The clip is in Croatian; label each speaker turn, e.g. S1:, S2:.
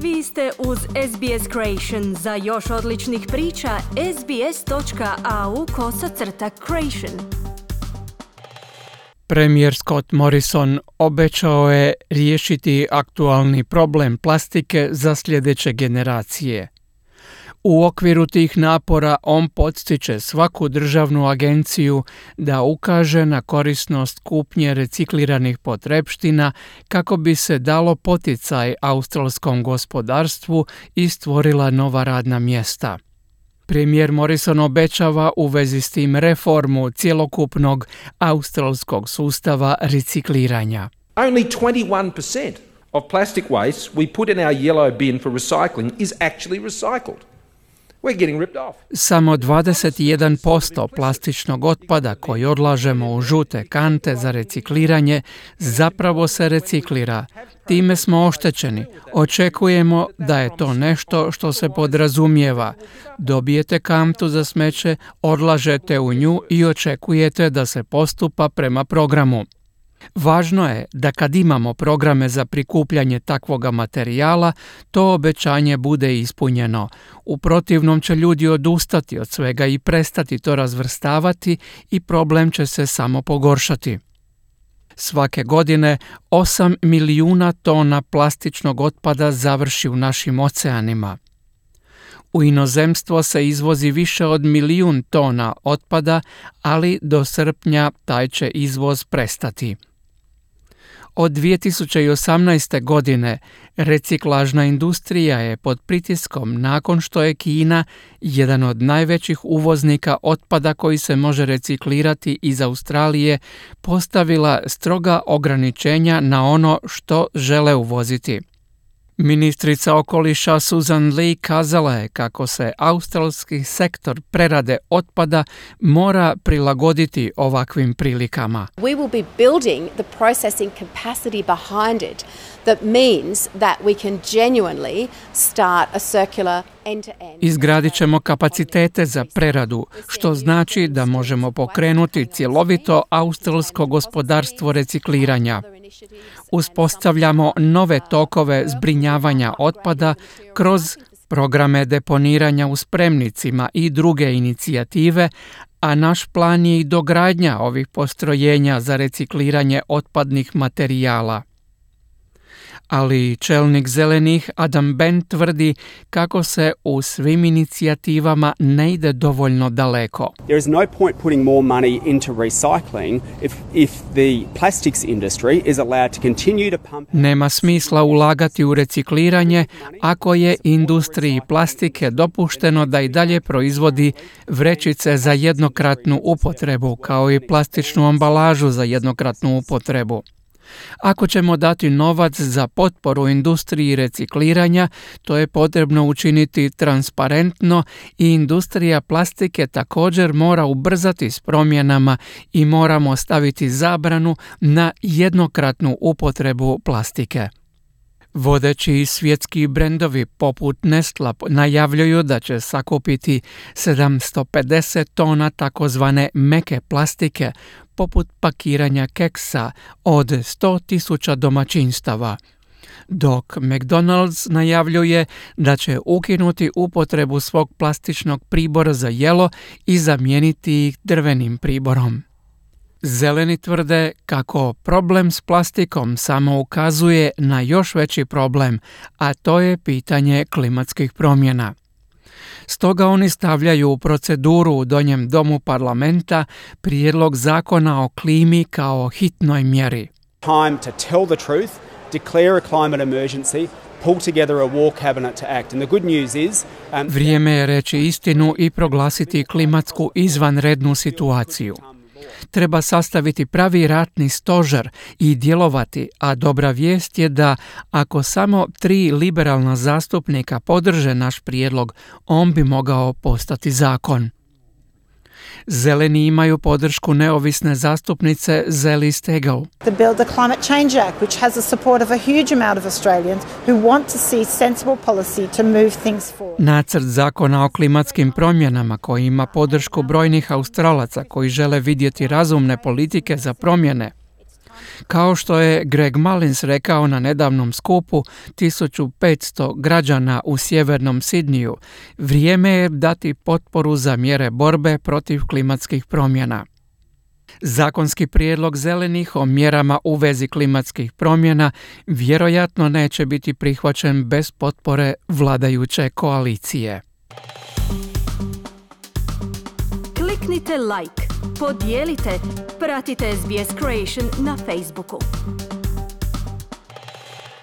S1: Vi ste uz SBS Creation. Za još odličnih priča, sbs.au/creation.
S2: Premijer Scott Morrison obećao je riješiti aktualni problem plastike za sljedeće generacije. U okviru tih napora on podstiče svaku državnu agenciju da ukaže na korisnost kupnje recikliranih potrepština kako bi se dalo poticaj australskom gospodarstvu i stvorila nova radna mjesta. Premijer Morrison obećava u vezi s tim reformu cjelokupnog australskog sustava recikliranja.
S3: Only 21% of plastic waste we put in our yellow bin for recycling is actually recycled. We're getting ripped off.
S2: Samo 21% plastičnog otpada koji odlažemo u žute kante za recikliranje zapravo se reciklira. Time smo oštećeni. Očekujemo da je to nešto što se podrazumijeva. Dobijete kantu za smeće, odlažete u nju i očekujete da se postupa prema programu. Važno je da kad imamo programe za prikupljanje takvoga materijala, to obećanje bude ispunjeno. U protivnom će ljudi odustati od svega i prestati to razvrstavati i problem će se samo pogoršati. Svake godine 8 milijuna tona plastičnog otpada završi u našim oceanima. U inozemstvo se izvozi više od 1 milijun tona otpada, ali do srpnja taj će izvoz prestati. Od 2018. godine reciklažna industrija je pod pritiskom nakon što je Kina, jedan od najvećih uvoznika otpada koji se može reciklirati iz Australije, postavila stroga ograničenja na ono što žele uvoziti. Ministrica okoliša Susan Lee kazala je kako se australski sektor prerade otpada mora prilagoditi ovakvim prilikama.
S4: We will be building the processing capacity behind it that means that we can genuinely start a circular end-to-end.
S2: Izgradit ćemo kapacitete za preradu, što znači da možemo pokrenuti cjelovito australsko gospodarstvo recikliranja. Uspostavljamo nove tokove zbrinjavanja otpada kroz programe deponiranja u spremnicima i druge inicijative, a naš plan je i dogradnja ovih postrojenja za recikliranje otpadnih materijala. Ali čelnik zelenih Adam Bent tvrdi kako se u svim inicijativama ne ide dovoljno daleko.
S5: There is no point putting more money into recycling if the plastics industry is allowed to continue to pump.
S2: Nema smisla ulagati u recikliranje ako je industriji plastike dopušteno da i dalje proizvodi vrećice za jednokratnu upotrebu kao i plastičnu ambalažu za jednokratnu upotrebu. Ako ćemo dati novac za potporu industriji recikliranja, to je potrebno učiniti transparentno i industrija plastike također mora ubrzati s promjenama i moramo staviti zabranu na jednokratnu upotrebu plastike. Vodeći svjetski brendovi poput Nestla najavljuju da će sakupiti 750 tona takozvane meke plastike, poput pakiranja keksa od 100.000 domaćinstava, dok McDonald's najavljuje da će ukinuti upotrebu svog plastičnog pribora za jelo i zamijeniti ih drvenim priborom. Zeleni tvrde kako problem s plastikom samo ukazuje na još veći problem, a to je pitanje klimatskih promjena. Stoga oni stavljaju u proceduru u Donjem domu parlamenta prijedlog zakona o klimi kao hitnoj mjeri.
S5: Time to tell the truth, declare a climate emergency, pull together a war cabinet to act. And the good news is
S2: Vrijeme je reći istinu i proglasiti klimatsku izvanrednu situaciju. Treba sastaviti pravi ratni stožer i djelovati, a dobra vijest je da ako samo 3 liberalna zastupnika podrže naš prijedlog, on bi mogao postati zakon. Zeleni imaju podršku neovisne zastupnice Zeli Steggall.
S6: The Build the Climate Change Act, which has the support of a huge amount of Australians who want to see sensible policy to move things forward.
S2: Nacrt zakona o klimatskim promjenama koji ima podršku brojnih Australaca koji žele vidjeti razumne politike za promjene. Kao što je Greg Mullins rekao na nedavnom skupu 1500 građana u sjevernom Sidniju, vrijeme je dati potporu za mjere borbe protiv klimatskih promjena. Zakonski prijedlog zelenih o mjerama u vezi klimatskih promjena vjerojatno neće biti prihvaćen bez potpore vladajuće koalicije.
S1: Kliknite like, podijelite, pratite SBS Creation na Facebooku.